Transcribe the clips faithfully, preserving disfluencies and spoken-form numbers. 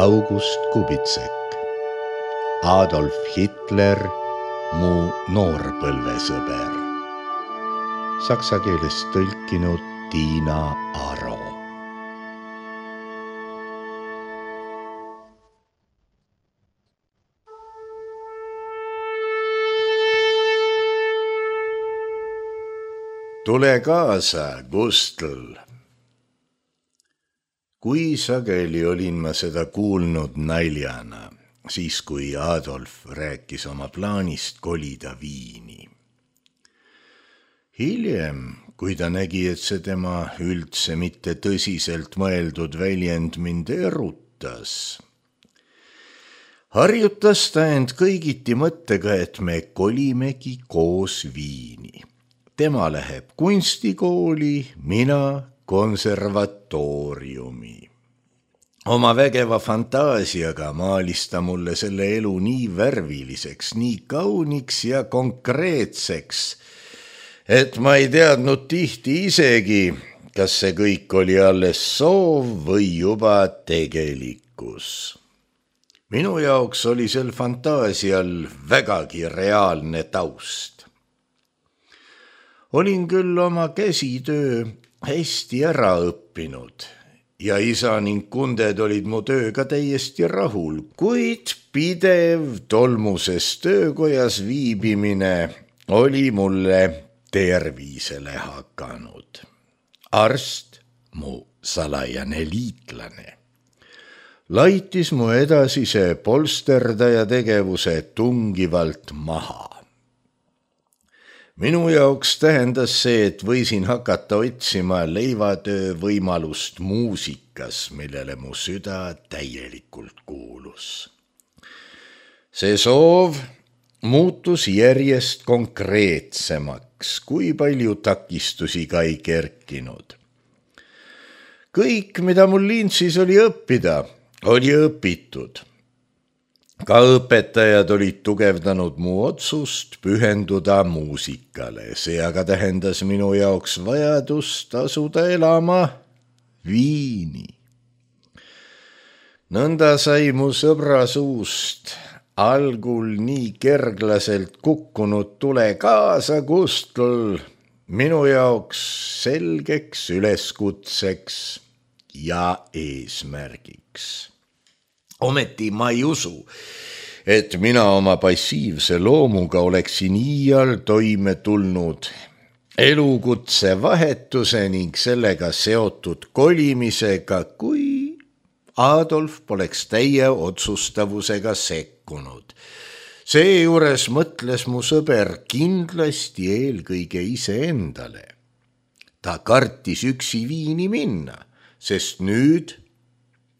August Kubitsek, Adolf Hitler, mu noorpõlvesõber. Saksa keelest tõlkinud Tiina Aro. Tule kaasa, Gustl! Kui sageli olin ma seda kuulnud naljana, siis kui Adolf rääkis oma plaanist kolida Viini. Hiljem, kui ta nägi, et see tema üldse mitte tõsiselt mõeldud väljend mind erutas, harjutas ta end kõigiti mõttega, et me kolimegi koos Viini. Tema läheb kunstikooli, mina konservatooriumi. Oma vägeva fantaasiaga maalis ta mulle selle elu nii värviliseks, nii kauniks ja konkreetseks, et ma ei teadnud tihti isegi, kas see kõik oli alles soov või juba tegelikkus. Minu jaoks oli sel fantaasial vägagi reaalne taust. Olin küll oma käsitöö hästi ära õppinud ja isa ning kunded olid mu tööga täiesti rahul, kuid pidev tolmuses töökojas viibimine oli mulle tervisele hakanud. Arst, mu salajane liitlane, laitis mu edasise polsterdaja tegevuse tungivalt maha. Minu jaoks tähendas see, et võisin hakata otsima leivatöö võimalust muusikas, millele mu süda täielikult kuulus. See soov muutus järjest konkreetsemaks, kui palju takistusi ka ei kerkinud. Kõik, mida mul lintsis oli õppida, oli õpitud. Ka õpetajad olid tugevdanud mu otsust pühenduda muusikale, see aga tähendas minu jaoks vajadust asuda elama Viini. Nõnda sai mu sõbra suust algul nii kerglaselt kukkunud tule kaasa, Gustl, minu jaoks selgeks üleskutseks ja eesmärgiks. Ometi ma ei usu, et mina oma passiivse loomuga oleksin iial toime tulnud elukutse vahetuse ning sellega seotud kolimisega, kui Adolf poleks täie otsustavusega sekkunud. Seejuures mõtles mu sõber kindlasti eelkõige iseendale. Ta kartis üksi Viini minna, sest nüüd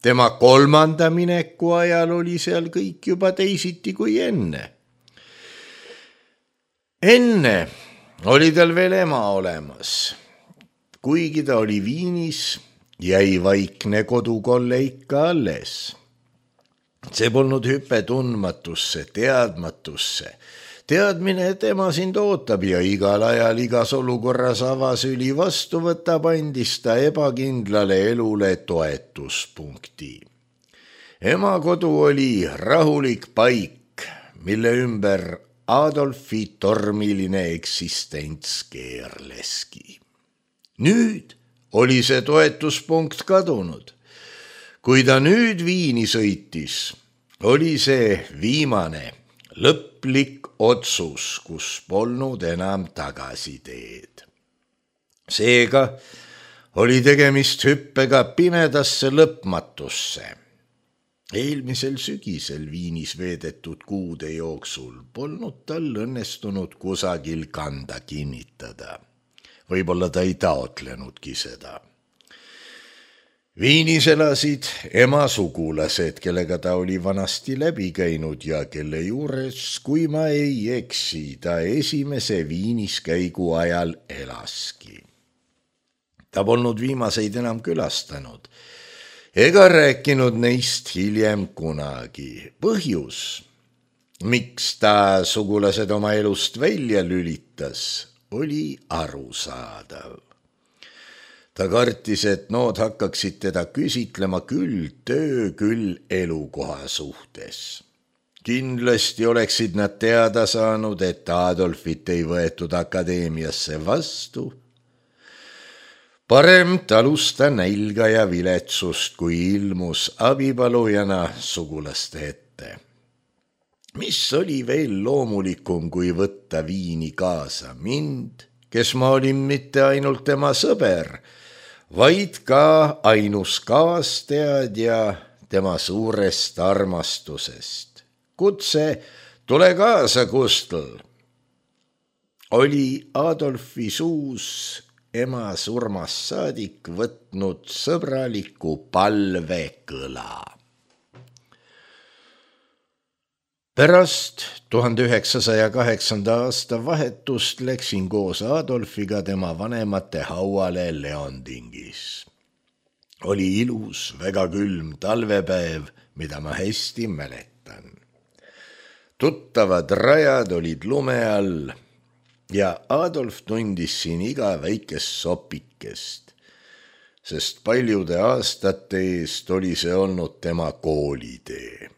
tema kolmanda mineku ajal oli seal kõik juba teisiti kui enne. Enne oli tal veel ema olemas. Kuigi ta oli Viinis, jäi vaikne kodukolle ikka alles. See polnud hüpe tundmatusse, teadmatusse. Teadmine, et ema sind ootab ja igal ajal igas olukorras avasüli vastu võtab, andis ta ebakindlale elule toetuspunkti. Ema kodu oli rahulik paik, mille ümber Adolfi tormiline eksistents keerleski. Nüüd oli see toetuspunkt kadunud. Kui ta nüüd Viini sõitis, oli see viimane lõplik otsus, kus polnud enam tagasiteed. Seega oli tegemist hüppega pimedasse lõpmatusse. Eelmisel sügisel Viinis veedetud kuude jooksul polnud tal õnnestunud kusagil kanda kinnitada. Võib-olla ta ei taotlenudki seda. Viinis elasid ema sugulased, kellega ta oli vanasti läbi käinud ja kelle juures, kui ma ei eksi, ta esimese Viinis käigu ajal elaski. Ta polnud viimaseid enam külastanud ega rääkinud neist hiljem kunagi. Põhjus, miks ta sugulased oma elust välja lülitas, oli arusaadav. Ta kartis, et nood hakkaksid teda küsitlema küll töö, küll elukoha suhtes. Kindlasti oleksid nad teada saanud, et Adolfit ei võetud akadeemiasse vastu. Parem talus ta nälga ja viletsust, kui ilmus abipalujana sugulaste ette. Mis oli veel loomulikum, kui võtta viini kaasa mind, kes ma olin mitte ainult tema sõber, vaid ka ainus kaasteadja tema suurest armastusest. Kutse, tule kaasa, Gustl, oli Adolfi suus ema surmast saadik võtnud sõbraliku palvekõla. Pärast tuhande üheksasaja kaheksanda aasta vahetust läksin koos Adolfiga tema vanemate hauale Leondingis. Oli ilus, väga külm talvepäev, mida ma hästi mäletan. Tuttavad rajad olid lume all ja Adolf tundis siin iga väikest sopikest, sest paljude aastate eest oli see olnud tema koolitee.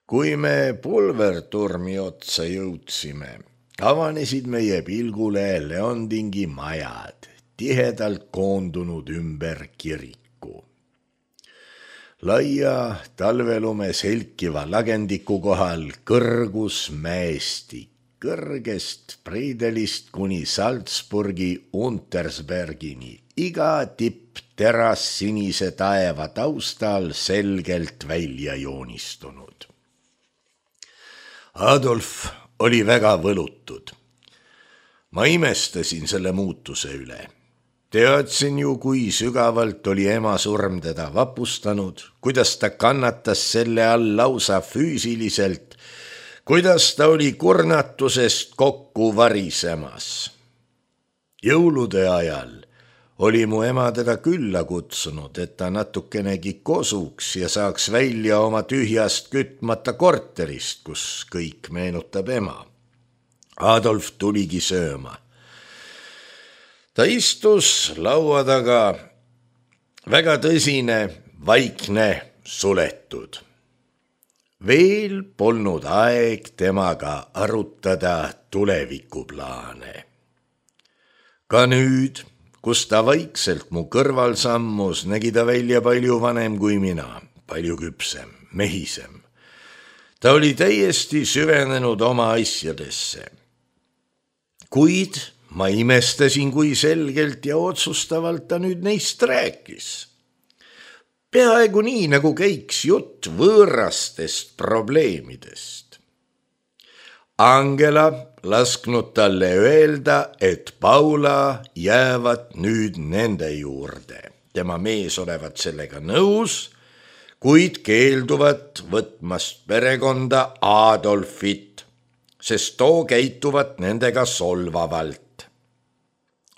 Kui me pulverturmi otsa jõudsime, avanesid meie pilgule Leondingi majad, tihedalt koondunud ümber kiriku. Laia talvelume selkiva lagendiku kohal kõrgus mäestik, kõrgest Preidelist kuni Salzburgi Untersbergini, iga tipp teras sinise taeva taustal selgelt välja joonistunud. Adolf oli väga võlutud. Ma imestasin selle muutuse üle. Teadsin ju, kui sügavalt oli ema surm teda vapustanud, kuidas ta kannatas selle all lausa füüsiliselt, kuidas ta oli kurnatusest kokku varisemas. Jõulude ajal oli mu ema teda külla kutsunud, et ta natukenegi kosuks ja saaks välja oma tühjast kütmata korterist, kus kõik meenutab ema. Adolf tuligi sööma. Ta istus laua taga, väga tõsine, vaikne, suletud. Veel polnud aeg temaga arutada tulevikuplaane. Ka nüüd, kus ta vaikselt mu kõrval sammus, nägi ta välja palju vanem kui mina, palju küpsem, mehisem. Ta oli täiesti süvenenud oma asjadesse. Kuid ma imestasin, kui selgelt ja otsustavalt ta nüüd neist rääkis. Peaaegu nii, nagu käiks jutt võõrastest probleemidest. Angela lasknud talle öelda, et Paula jäävad nüüd nende juurde. Tema mees olevat sellega nõus, kuid keelduvat võtmast perekonda Adolfit, sest too käituvat nendega solvavalt.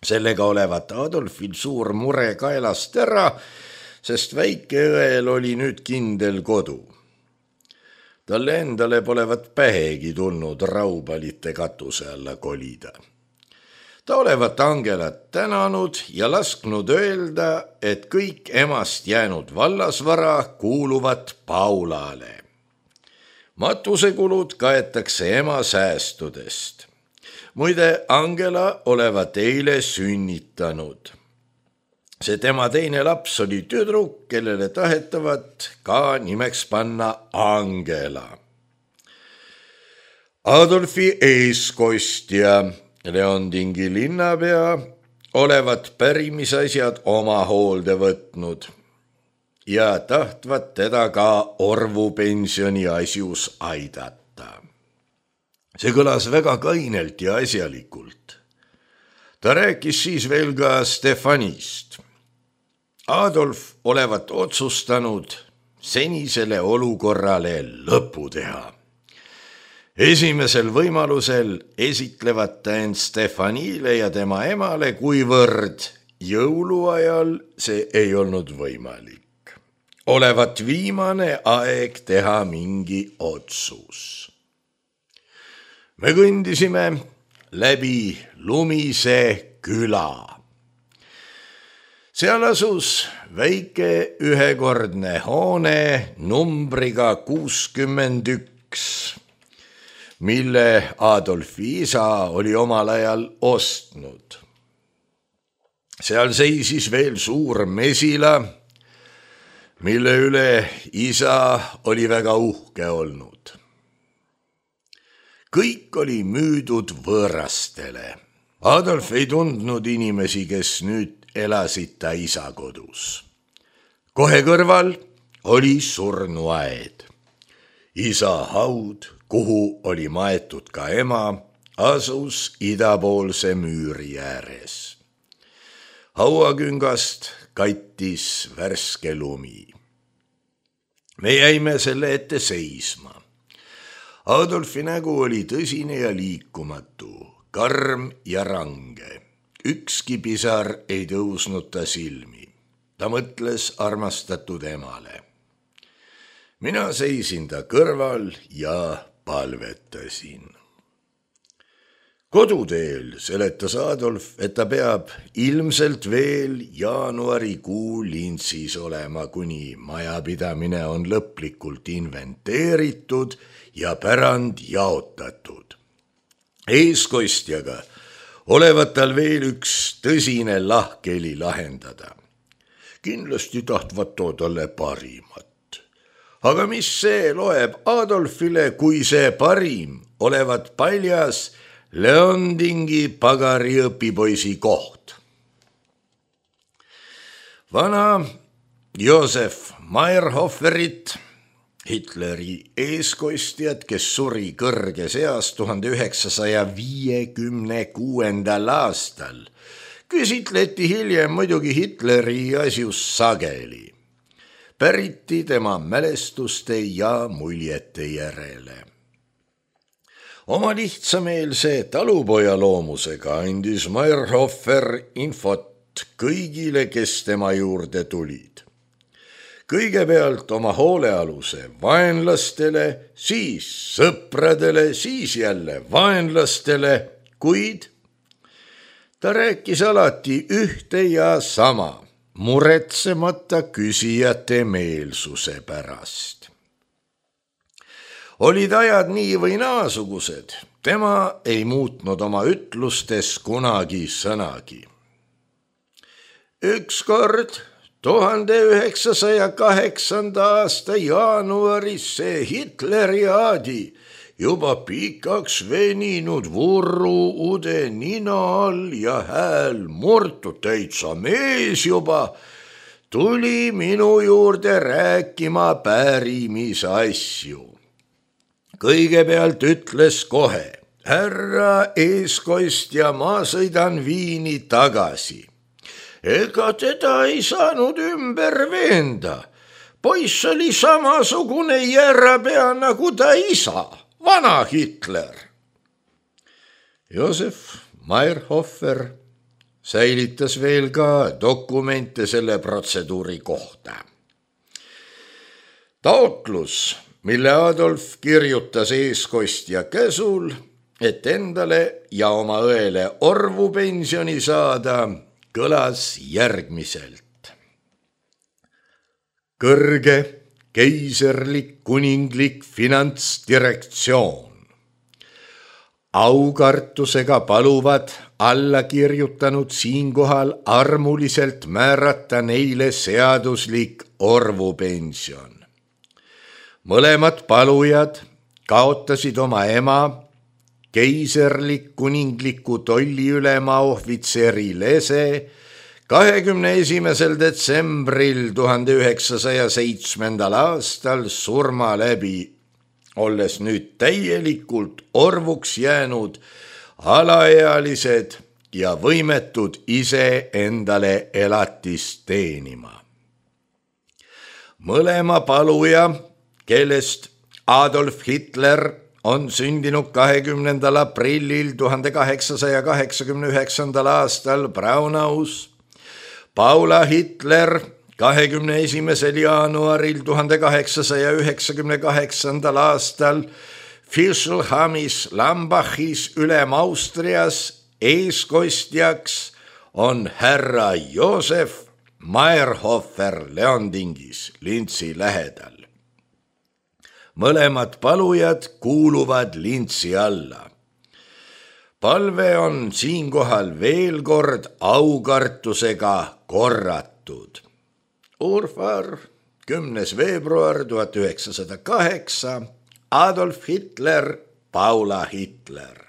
Sellega olevat Adolfil suur mure kaelast ära, sest väikeõel oli nüüd kindel kodu. Talle endale polevat pähegi tulnud Raubalite katuse alla kolida. Ta olevat Angelat tänanud ja lasknud öelda, et kõik emast jäänud vallasvara kuuluvad Paulale. Matusekulud kaetakse ema säästudest. Muide, Angela olevat eile sünnitanud. See tema teine laps oli tüdruk, kellele tahetavat ka nimeks panna Angela. Adolfi eeskostja, Leondingi linnapea, olevat pärimisasjad oma hoolde võtnud ja tahtvat teda ka orvupensioni asjus aidata. See kõlas väga kainelt ja asjalikult. Ta rääkis siis veel ka Stefanist. Adolf olevat otsustanud senisele olukorrale lõpu teha. Esimesel võimalusel esitlevat ta end Stefanile ja tema emale, kuivõrd jõuluajal see ei olnud võimalik. Olevat viimane aeg teha mingi otsus. Me kõndisime läbi lumise küla. Seal asus väike ühekordne hoone numbriga kuuskümmend üks, mille Adolfi isa oli omal ajal ostnud. Seal seisis veel suur mesila, mille üle isa oli väga uhke olnud. Kõik oli müüdud võõrastele. Adolf ei tundnud inimesi, kes nüüd elasid ta isa kodus. Kohe kõrval oli surnuaed. Isa haud, kuhu oli maetud ka ema, asus idapoolse müüri ääres. Hauaküngast kattis värske lumi. Me jäime selle ette seisma. Adolfi nägu oli tõsine ja liikumatu, karm ja range. Ükski pisar ei tõusnud ta silmi. Ta mõtles armastatud emale. Mina seisin ta kõrval ja palvetasin. Koduteel seletas Adolf, et ta peab ilmselt veel jaanuarikuu lintsis olema, kuni majapidamine on lõplikult inventeeritud ja pärand jaotatud. Eeskostjaga olevat tal veel üks tõsine lahkeli lahendada. Kindlasti tahtvat too talle parimat. Aga mis see loeb Adolfile, kui see parim olevat paljas Leondingi pagari õpipoisi koht? Vana Josef Mayrhoferit, Hitleri eeskostjat, kes suri kõrges eas tuhande üheksasaja viiekümne kuuendal aastal, küsitleti hiljem muidugi Hitleri asjus sageli. Päriti tema mälestuste ja muljete järele. Oma lihtsameelse talupoja loomusega andis Mayrhofer infot kõigile, kes tema juurde tulid. Kõigepealt oma hoolealuse vaenlastele, siis sõpradele, siis jälle vaenlastele, kuid ta rääkis alati ühte ja sama, muretsemata küsijate meelsuse pärast. Olid ajad nii või naasugused, tema ei muutnud oma ütlustes kunagi sõnagi. Ükskord tuhande üheksasaja kaheksanda aasta jaanuaris see Hitleri aadi juba pikaks veninud vurru ude nina all ja hääl murtud täitsa mees juba tuli minu juurde rääkima pärimise asju. Kõigepealt ütles kohe, härra eeskostja, ma sõidan Viini tagasi. Ega teda ei saanud ümber veenda. Poiss oli samasugune järrapea nagu ta isa, vana Hitler. Josef Mayrhofer säilitas veel ka dokumente selle protseduuri kohta. Taotlus, mille Adolf kirjutas eeskostja käsul, et endale ja oma õele orvu pensioni saada, kõlas järgmiselt. Kõrge keiserlik kuninglik finantsdirektsioon. Aukartusega paluvad alla kirjutanud siinkohal armuliselt määrata neile seaduslik orvupension. Mõlemad palujad kaotasid oma ema, keiserlik kuningliku tolliülema ohvitseri Lese kahekümne esimesel detsembril tuhande üheksasaja seitsmendal aastal surma läbi, olles nüüd täielikult orvuks jäänud alaealised ja võimetud ise endale elatist teenima. Mõlema paluja, kellest Adolf Hitler on sündinud kahekümnendal aprillil tuhande kaheksasaja kaheksakümne üheksandal aastal Braunaus, Paula Hitler kahekümne esimesel jaanuaril tuhande kaheksasaja üheksakümne kaheksandal aastal Fischelhamis Lambachis Ülem-Austrias eeskostjaks on härra Josef Meyerhofer Leondingis Lintsi lähedal. Mõlemad palujad kuuluvad Lintsi alla. Palve on siinkohal veel kord aukartusega korratud. Urfar, kümnes veebruar tuhat üheksasada kaheksa, Adolf Hitler, Paula Hitler.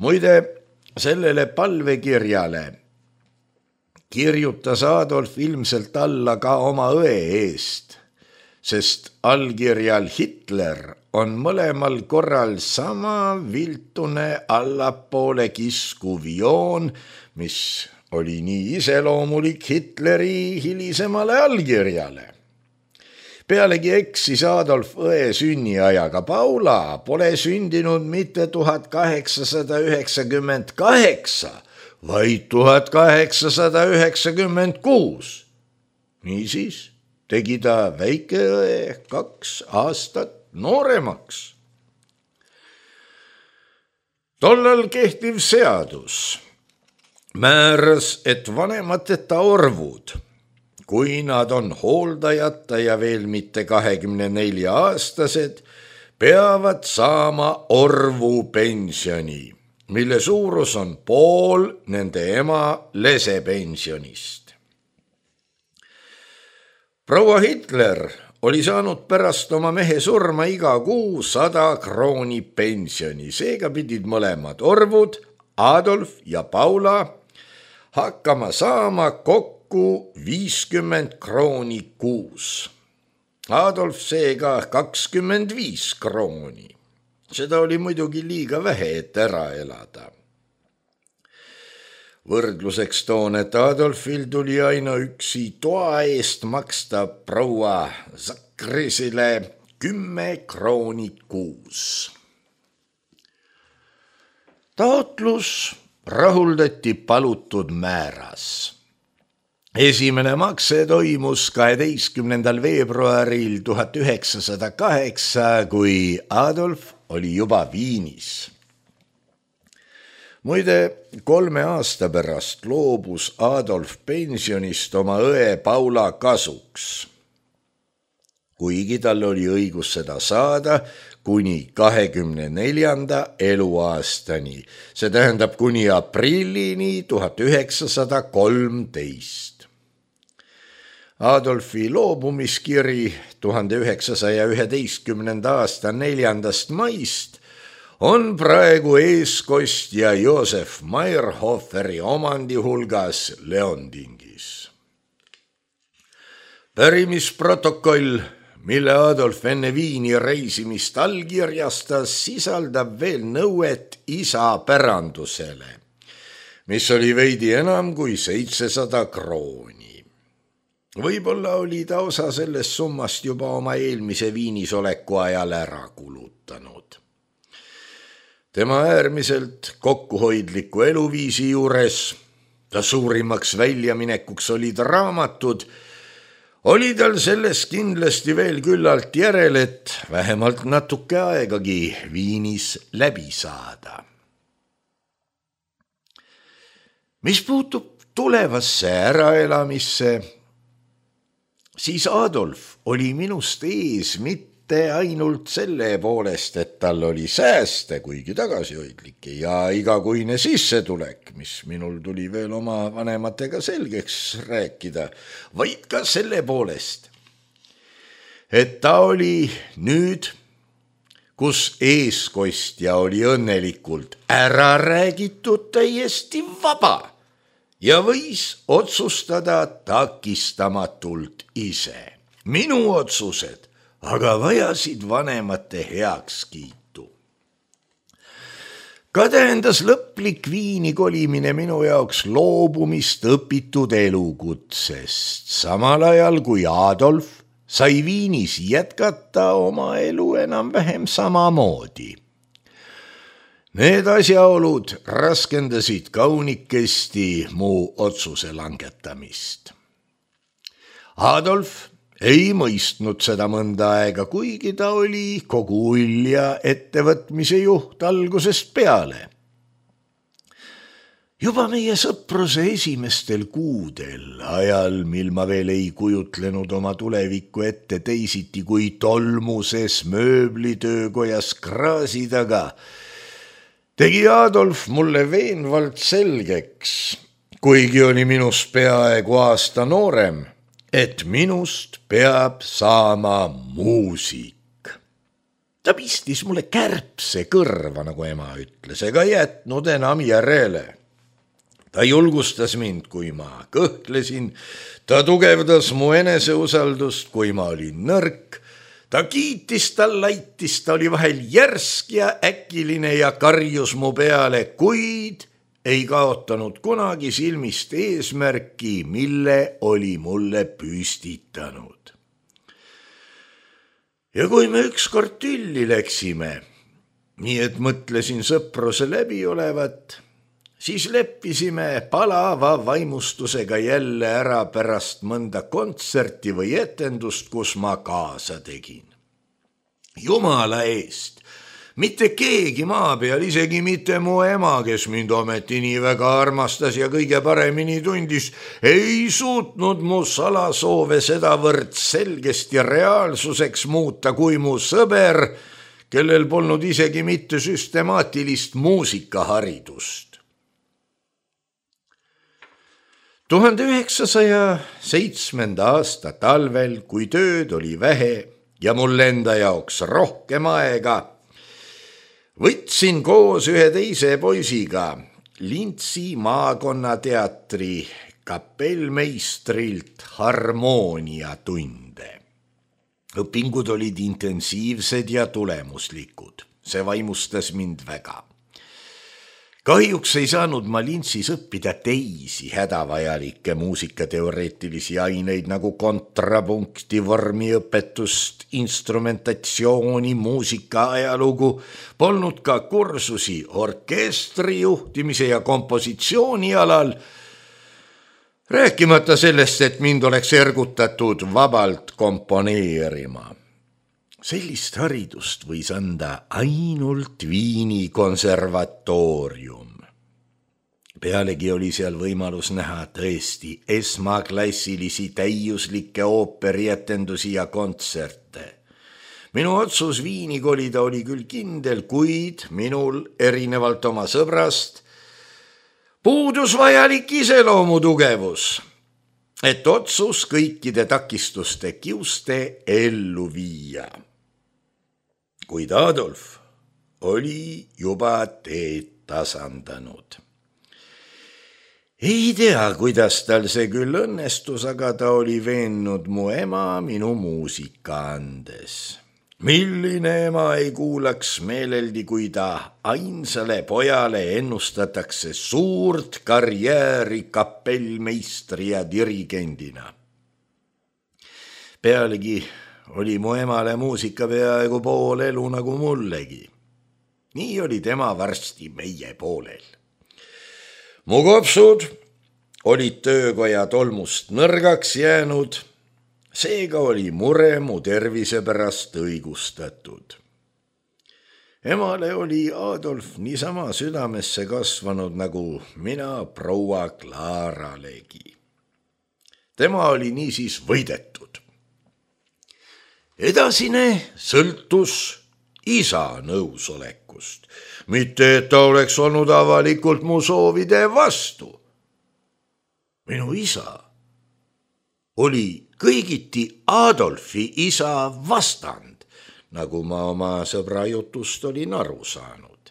Muide, sellele palvekirjale kirjutas Adolf ilmselt alla ka oma õe eest, sest allkirjal Hitler on mõlemal korral sama viltune allapoole kiskuv joon, mis oli nii iseloomulik Hitleri hilisemale allkirjale. Pealegi eksis Adolf õe sünniajaga. Paula pole sündinud mitte tuhat kaheksasada üheksakümmend kaheksa, vaid tuhat kaheksasada üheksakümmend kuus. Niisiis tegi ta väikeõe kaks aastat nooremaks. Tollal kehtiv seadus määras, et vanemateta orvud, kui nad on hooldajata ja veel mitte kahekümne nelja aastased, peavad saama orvu pensioni, mille suurus on pool nende ema lesepensionist. Proua Hitler oli saanud pärast oma mehe surma iga kuu sada krooni pensioni, seega pidid mõlemad orvud, Adolf ja Paula, hakkama saama kokku viiskümmend krooni kuus. Adolf seega kakskümmend viis krooni. Seda oli muidugi liiga vähe, et ära elada. Võrdluseks toon, et Adolfil tuli ainuüksi toa eest maksta proua Zakrisile kümme krooni kuus. Taotlus rahuldati palutud määras. Esimene makse toimus kaheteistkümnendal veebruaril tuhat üheksasada kaheksa, kui Adolf oli juba Viinis. Muide, kolme aasta pärast loobus Adolf pensionist oma õe Paula kasuks, kuigi tal oli õigus seda saada kuni kahekümne neljanda eluaastani, see tähendab kuni aprillini tuhat üheksasada kolmteist. Adolfi loobumiskiri tuhande üheksasaja üheteistkümnenda aasta neljandast maist on praegu eeskostja Josef Meyerhoferi omandi hulgas Leondingis. Pärimisprotokoll, mille Adolf enne Viini reisimist allkirjastas, sisaldab veel nõuet isa pärandusele, mis oli veidi enam kui seitsesada krooni. Võib-olla oli ta osa sellest summast juba oma eelmise Viinis oleku ajal ära kulutanud. Tema äärmiselt kokkuhoidliku eluviisi juures, ta suurimaks väljaminekuks olid raamatud, oli tal sellest kindlasti veel küllalt järel, et vähemalt natuke aegagi Viinis läbi saada. Mis puutub tulevasse äraelamisse, siis Adolf oli minust ees mitte ainult selle poolest, et tal oli sääste, kuigi tagasihoidlik ja igakuine sissetulek, mis minul tuli veel oma vanematega selgeks rääkida, vaid ka selle poolest, et ta oli nüüd, kus eeskostja oli õnnelikult ära räägitud, täiesti vaba ja võis otsustada takistamatult ise. Minu otsused aga vajasid vanemate heakskiitu. Ka tähendas lõplik Viini kolimine minu jaoks loobumist õpitud elukutsest, samal ajal kui Adolf sai Viinis jätkata oma elu enam-vähem samamoodi. Need asjaolud raskendasid kaunikesti mu otsuse langetamist. Adolf ei mõistnud seda mõnda aega, kuigi ta oli kogu ulja ettevõtmise juht algusest peale. Juba meie sõpruse esimestel kuudel, ajal, mil ma veel ei kujutlenud oma tulevikku ette teisiti kui tolmuses mööblitöökojas kraasi taga, tegi Adolf mulle veenvalt selgeks, kuigi oli minust peaaegu aasta noorem, et minust peab saama muusik. Ta pistis mulle kärbse kõrva, nagu ema ütles, ega jätnud enam järele. Ta julgustas mind, kui ma kõhklesin, ta tugevdas mu eneseusaldust, kui ma olin nõrk, ta kiitis, ta laitis, ta oli vahel järsk ja äkiline ja karjus mu peale, kuid ei kaotanud kunagi silmist eesmärki, mille oli mulle püstitanud. Ja kui me ükskord tülli läksime, nii et mõtlesin sõpruse läbi olevat, siis leppisime palava vaimustusega jälle ära pärast mõnda kontserti või etendust, kus ma kaasa tegin. Jumala eest, mitte keegi maa peal, isegi mitte mu ema, kes mind ometi nii väga armastas ja kõige paremini tundis, ei suutnud mu salasoove sedavõrd selgesti reaalsuseks muuta kui mu sõber, kellel polnud isegi mitte süstemaatilist muusikaharidust. tuhande üheksasaja seitsmenda aasta talvel, kui tööd oli vähe ja mul enda jaoks rohkem aega, võtsin koos ühe teise poisiga Lintsi maakonnateatri kapellmeistrilt harmooniatunde. Õpingud olid intensiivsed ja tulemuslikud, see vaimustas mind väga. Kahjuks ei saanud ma Lintsis õppida teisi hädavajalikke muusikateoreetilisi aineid nagu kontrapunkti, vormiõpetust, instrumentatsiooni, muusika ajalugu, polnud ka kursusi orkestri juhtimise ja kompositsiooni alal, rääkimata sellest, et mind oleks ergutatud vabalt komponeerima. Sellist haridust võis anda ainult Viini konservatoorium. Pealegi oli seal võimalus näha tõesti esmaklassilisi täiuslikke ooperietendusi ja kontserte. Minu otsus Viini kolida oli küll kindel, kuid minul, erinevalt oma sõbrast, puudus vajalik iseloomu tugevus, et otsus kõikide takistuste kiuste ellu viia. Kuid Adolf oli juba teed tasandanud. Ei tea, kuidas tal see küll õnnestus, aga ta oli veennud mu ema minu muusika andes. Milline ema ei kuulaks meeleldi, kui ta ainsale pojale ennustatakse suurt karjääri kapellmeistri ja dirigendina. Pealegi oli mu emale muusika peaaegu pool elu nagu mullegi. Nii oli tema varsti meie poolel. Mu kopsud olid töökoja tolmust nõrgaks jäänud, seega oli mure mu tervise pärast õigustatud. Emale oli Adolf niisama südamesse kasvanud nagu mina proua Klaaralegi. Tema oli niisiis võidetud. Edasine sõltus isa nõusolekust, mitte et ta oleks olnud avalikult mu soovide vastu. Minu isa oli kõigiti Adolfi isa vastand, nagu ma oma sõbra jutust olin aru saanud.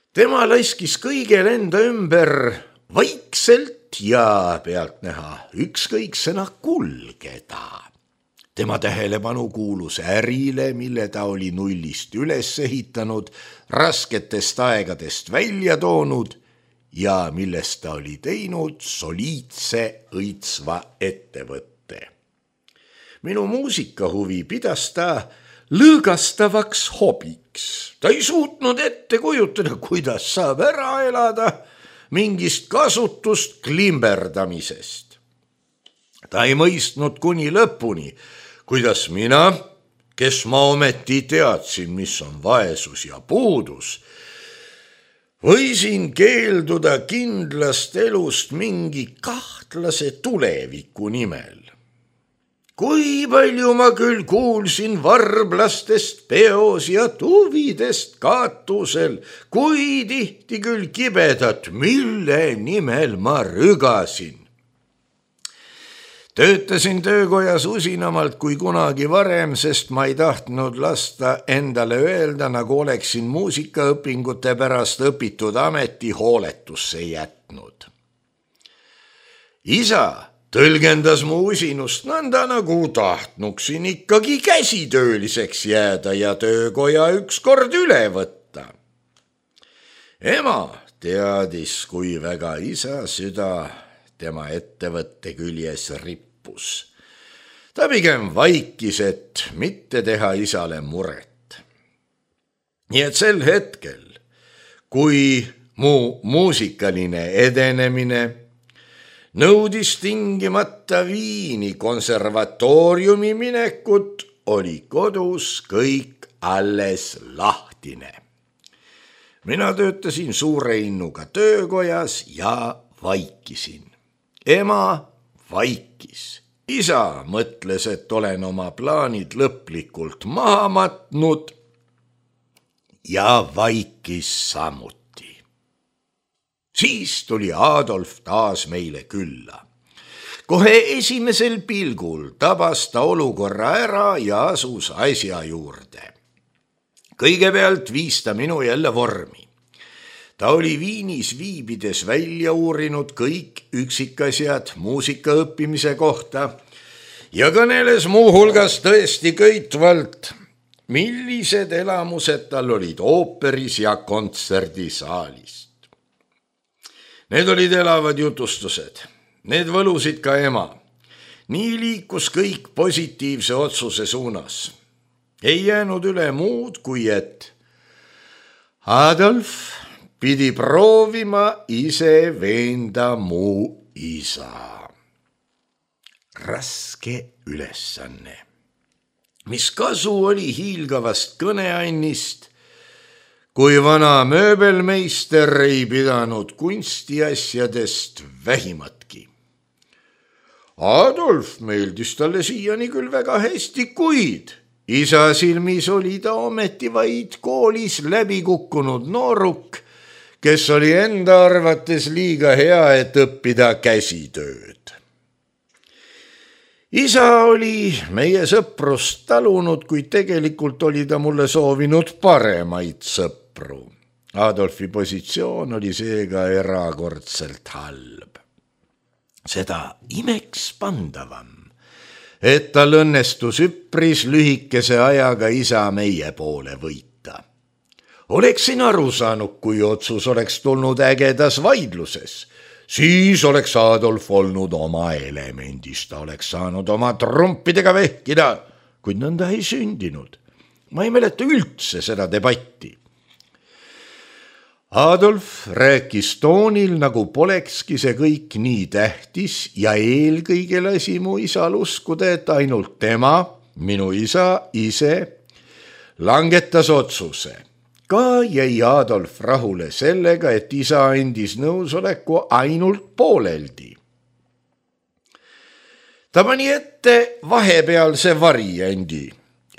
Tema laiskis kõigel enda ümber vaikselt ja pealtnäha ükskõiksena kulgeda. Tema tähelepanu kuulus ärile, mille ta oli nullist üles ehitanud, rasketest aegadest välja toonud ja millest ta oli teinud soliidse õitsva ettevõtte. Minu muusikahuvi pidas ta lõõgastavaks hobiks. Ta ei suutnud ette kujutada, kuidas saab ära elada mingist kasutust klimberdamisest. Ta ei mõistnud kuni lõpuni, kuidas mina, kes ma ometi teadsin, mis on vaesus ja puudus, võisin keelduda kindlast elust mingi kahtlase tuleviku nimel. Kui palju ma küll kuulsin varblastest peos ja tuvidest katusel, kui tihti küll kibedat, mille nimel ma rügasin. Töötasin töökojas usinamalt kui kunagi varem, sest ma ei tahtnud lasta endale öelda, nagu oleksin muusikaõpingute pärast õpitud ameti hooletusse jätnud. Isa tõlgendas mu usinust nõnda, nagu tahtnuksin ikkagi käsitööliseks jääda ja töökoja ükskord üle võtta. Ema teadis, kui väga isa süda tema ettevõtte küljes rippus. Ta pigem vaikis, et mitte teha isale muret. Nii et sel hetkel, kui mu muusikaline edenemine nõudis tingimata Viini konservatooriumi minekut, oli kodus kõik alles lahtine. Mina töötasin suure innuga töökojas ja vaikisin. Ema vaikis. Isa mõtles, et olen oma plaanid lõplikult maha matnud ja vaikis samuti. Siis tuli Adolf taas meile külla. Kohe esimesel pilgul tabas ta olukorra ära ja asus asja juurde. Kõigepealt viis ta minu jälle vormi. Ta oli Viinis viibides välja uurinud kõik üksikasjad muusika õppimise kohta ja kõneles muuhulgas tõesti köitvalt, millised elamused tal olid ooperis ja kontserdisaalist. Need olid elavad jutustused, need võlusid ka ema. Nii liikus kõik positiivse otsuse suunas. Ei jäänud üle muud, kui et Adolf pidi proovima ise veenda mu isa. Raske ülesanne. Mis kasu oli hiilgavast kõneannist, kui vana mööbelmeister ei pidanud kunstiasjadest vähimatki. Adolf meeldis talle siiani küll väga hästi, kuid isa silmis oli ta ometi vaid koolis läbi kukkunud nooruk, kes oli enda arvates liiga hea, et õppida käsitööd. Isa oli meie sõprust talunud, kuid tegelikult oli ta mulle soovinud paremaid sõpru. Adolfi positsioon oli seega erakordselt halb. Seda imeks pandavam, et tal õnnestus üpris lühikese ajaga isa meie poole võita. Oleksin aru saanud, kui otsus oleks tulnud ägedas vaidluses. Siis oleks Adolf olnud oma elemendis, ta oleks saanud oma trumpidega vehkida, kuid nõnda ei sündinud. Ma ei mäleta üldse seda debatti. Adolf rääkis toonil, nagu polekski see kõik nii tähtis ja eelkõige lasi mu isal uskuda, et ainult tema, minu isa ise, langetas otsuse. Ka jäi Adolf rahule sellega, et isa andis nõusoleku ainult pooleldi. Ta pani ette vahepealse variendi,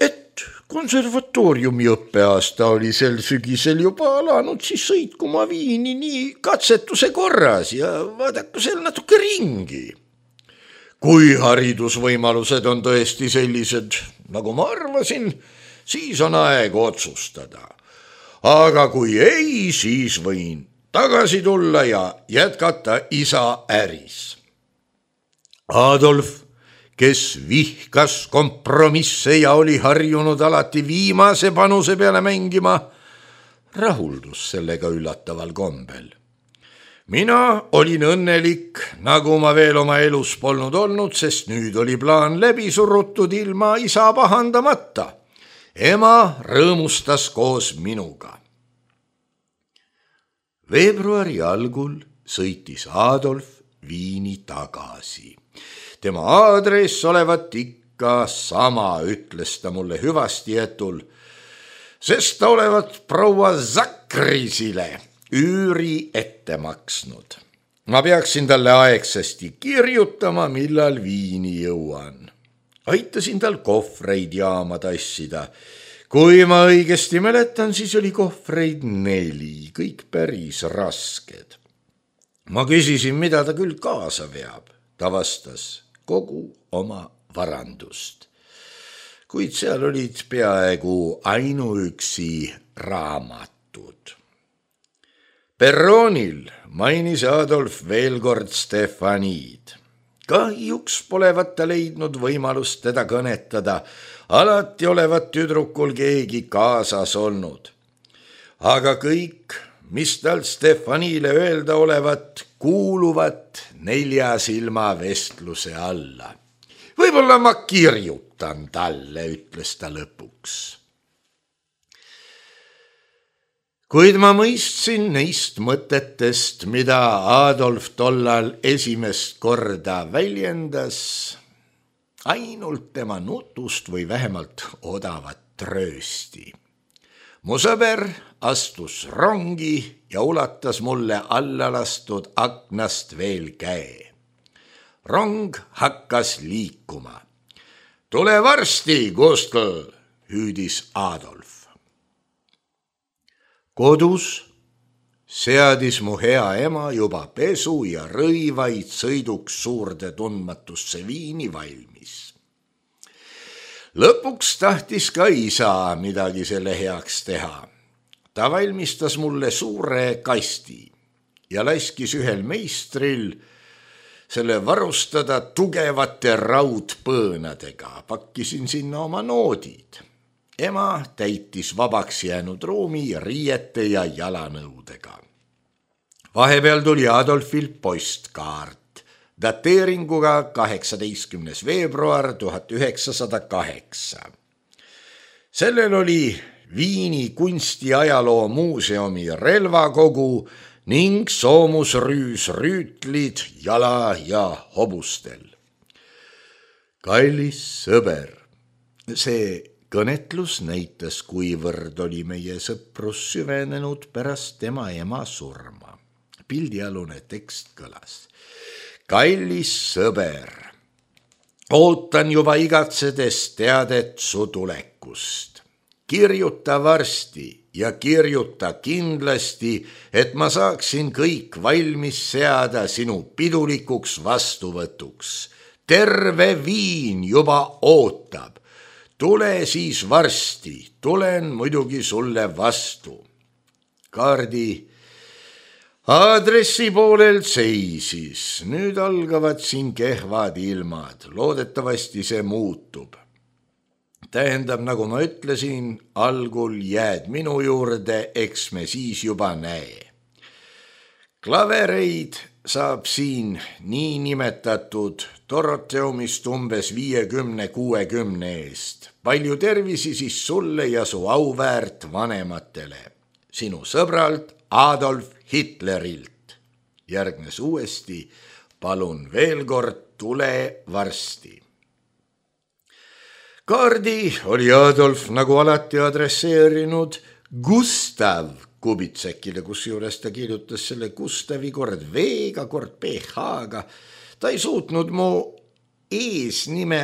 et konservatooriumi õppeaasta oli sel sügisel juba alanud, siis sõitku ma Viini nii katsetuse korras ja vaadaku seal natuke ringi. Kui haridusvõimalused on tõesti sellised, nagu ma arvasin, siis on aeg otsustada. Aga kui ei, siis võin tagasi tulla ja jätkata isa äris. Adolf, kes vihkas kompromisse ja oli harjunud alati viimase panuse peale mängima, rahuldus sellega üllataval kombel. Mina olin õnnelik, nagu ma veel oma elus polnud olnud, sest nüüd oli plaan läbi surutud ilma isa pahandamata. Ema rõõmustas koos minuga. Veebruari algul sõitis Adolf Viini tagasi. Tema aadress olevat ikka sama, ütles ta mulle hüvasti jätul, sest ta olevat proua Zakrisile üüri ette maksnud. Ma peaksin talle aegsasti kirjutama, millal Viini jõuan. Aitasin tal kohvreid jaama tassida. Kui ma õigesti mäletan, siis oli kohvreid neli, kõik päris rasked. Ma küsisin, mida ta küll kaasa veab. Ta vastas kogu oma varandust. Kuid seal olid peaaegu ainuüksi raamatud. Perroonil mainis Adolf veel kord Stefaniid. Kahjuks polevat ta leidnud võimalust teda kõnetada, alati olevat tüdrukul keegi kaasas olnud. Aga kõik, mis tal Stefanile öelda olevat, kuuluvat nelja silma vestluse alla. Võib-olla ma kirjutan talle, ütles ta lõpuks. Kuid ma mõistsin neist mõtetest, mida Adolf tollal esimest korda väljendas, ainult tema nutust või vähemalt odavat tröösti. Mu sõber astus rongi ja ulatas mulle alla lastud aknast veel käe. Rong hakkas liikuma. Tule varsti, Gustl, hüüdis Adolf. Kodus seadis mu hea ema juba pesu ja rõivaid sõiduks suurde tundmatusse Viini valmis. Lõpuks tahtis ka isa midagi selle heaks teha. Ta valmistas mulle suure kasti ja laskis ühel meistril selle varustada tugevate raudpõõnadega. Pakkisin sinna oma noodid. Ema täitis vabaks jäänud ruumi riiete ja jalanõudega. Vahepeal tuli Adolfil postkaart dateeringuga kaheksateistkümnes veebruar tuhat üheksasada kaheksa. Sellel oli Viini kunstiajaloo muuseumi relvakogu ning soomusrüüs rüütlid jala ja hobustel. Kallis sõber, see kõnetlus näitas, kuivõrd oli meie sõprus süvenenud pärast tema ema surma. Pildialune tekst kõlas. Kallis sõber, ootan juba igatsedes teadet su tulekust. Kirjuta varsti ja kirjuta kindlasti, et ma saaksin kõik valmis seada sinu pidulikuks vastuvõtuks. Terve Viin juba ootab. Tule siis varsti, tulen muidugi sulle vastu. Kaardi aadressi poolel seisis, nüüd algavad siin kehvad ilmad, loodetavasti see muutub. Tähendab, nagu ma ütlesin, algul jääd minu juurde, eks me siis juba näe. Klavereid saab siin nii nimetatud Doroteumist umbes viiekümne kuuekümne eest. Palju tervisi siis sulle ja su auväärt vanematele. Sinu sõbralt Adolf Hitlerilt. Järgnes uuesti, palun veel kord, tule varsti. Kaardi oli Adolf nagu alati adresseerinud Gustav Kubitsekile, kus juures ta kirjutas selle Gustavi kord V-ga, kord P H-ga. Ta ei suutnud mu eesnime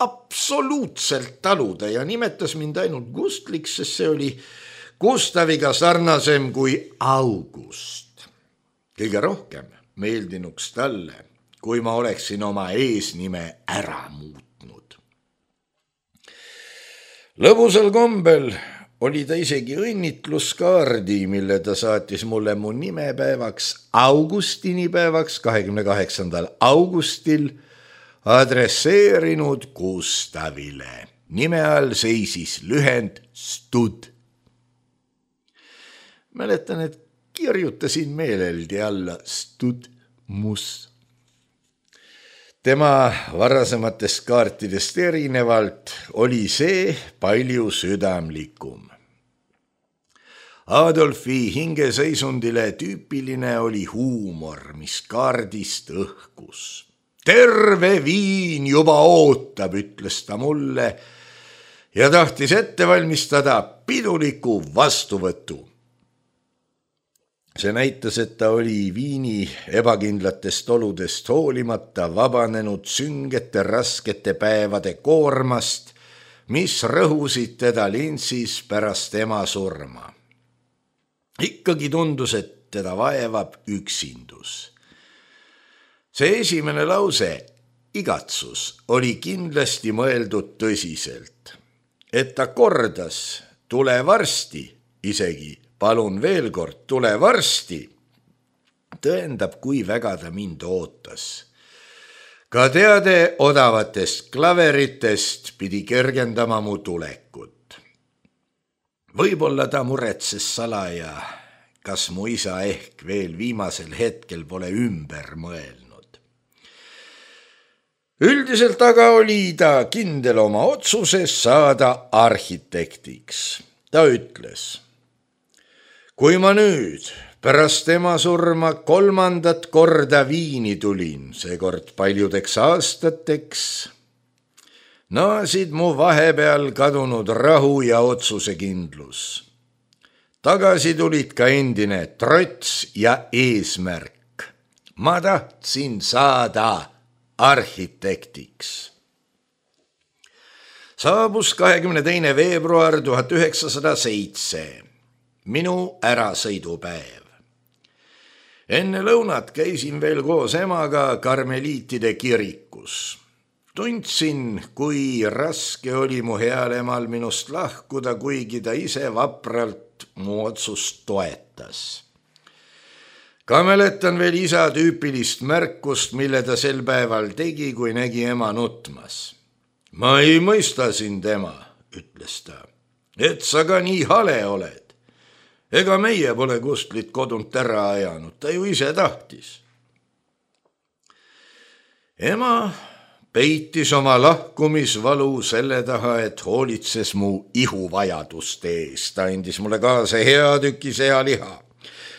absoluutselt taluda ja nimetas mind ainult Gustliks, sest see oli Gustaviga sarnasem kui August. Kõige rohkem meeldinuks talle, kui ma oleksin oma eesnime ära muutnud. Lõbusal kombel oli ta isegi õnnitluskaardi, mille ta saatis mulle mu nimepäevaks, augustinipäevaks, kahekümne kaheksandal augustil, adresseerinud Gustavile. Nime all seisis lühend Stud. Mäletan, et kirjutasin meeleldi alla Studmus. Tema varasematest kaartidest erinevalt oli see palju südamlikum. Adolfi hingeseisundile tüüpiline oli huumor, mis kaardist õhkus. Terve Viin juba ootab, ütles ta mulle ja tahtis ette valmistada piduliku vastuvõtu. See näitas, et ta oli Viini ebakindlatest oludest hoolimata vabanenud süngete raskete päevade koormast, mis rõhusid teda Linzis pärast ema surma. Ikkagi tundus, et teda vaevab üksindus. See esimene lause, igatsus, oli kindlasti mõeldud tõsiselt, et ta kordas, tule varsti, isegi palun veel kord, tule varsti, tõendab, kui väga ta mind ootas. Ka teade odavatest klaveritest pidi kergendama mu tulekut. Võib-olla ta muretses salaja, kas mu isa ehk veel viimasel hetkel pole ümber mõelnud. Üldiselt aga oli ta kindel oma otsuses saada arhitektiks. Ta ütles, kui ma nüüd pärast ema surma kolmandat korda Viini tulin, seekord paljudeks aastateks, naasid mu vahepeal kadunud rahu ja otsusekindlus. Tagasi tulid ka endine trots ja eesmärk. Ma tahtsin saada arhitektiks. Saabus kahekümne teine veebruar tuhat üheksasada seitse. Minu ärasõidupäev. Enne lõunat käisin veel koos emaga karmeliitide kirikus. Tundsin, kui raske oli mu heal emal minust lahkuda, kuigi ta ise vapralt mu otsust toetas. Ka mäletan veel isa tüüpilist märkust, mille ta sel päeval tegi, kui nägi ema nutmas. Ma ei mõista sind, ema, ütles ta, et sa ka nii hale oled. Ega meie pole Kustlit kodunt ära ajanud, ta ju ise tahtis. Ema peitis oma lahkumisvalu selle taha, et hoolitses mu ihuvajaduste eest. Ta andis mulle kaasa hea tüki sealiha.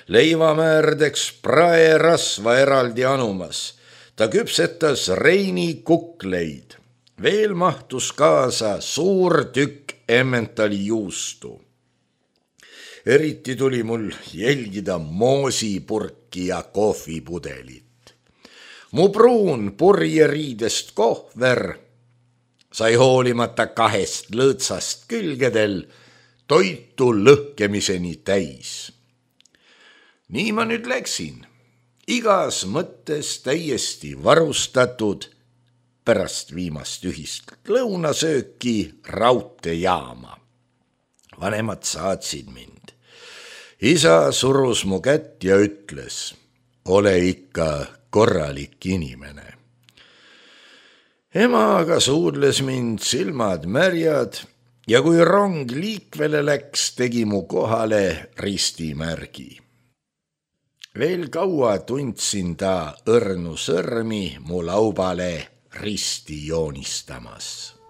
Leivamäärdeks praerasva eraldi anumas. Ta küpsetas Reini kukleid. Veel mahtus kaasa suur tükk Emmentali juustu. Eriti tuli mul jälgida moosipurki ja kohvipudelit. Mu pruun purjeriidest kohver sai hoolimata kahest lõõtsast külgedel toitu lõhkemiseni täis. Nii ma nüüd läksin, igas mõttes täiesti varustatud pärast viimast ühist lõunasööki raudteejaama. Vanemad saatsid mind. Isa surus mu kätt ja ütles, ole ikka korralik inimene. Ema aga suudles mind silmad märjad ja kui rong liikvele läks, tegi mu kohale ristimärgi. Veel kaua tundsin ta õrnu sõrmi mu laubale risti joonistamas.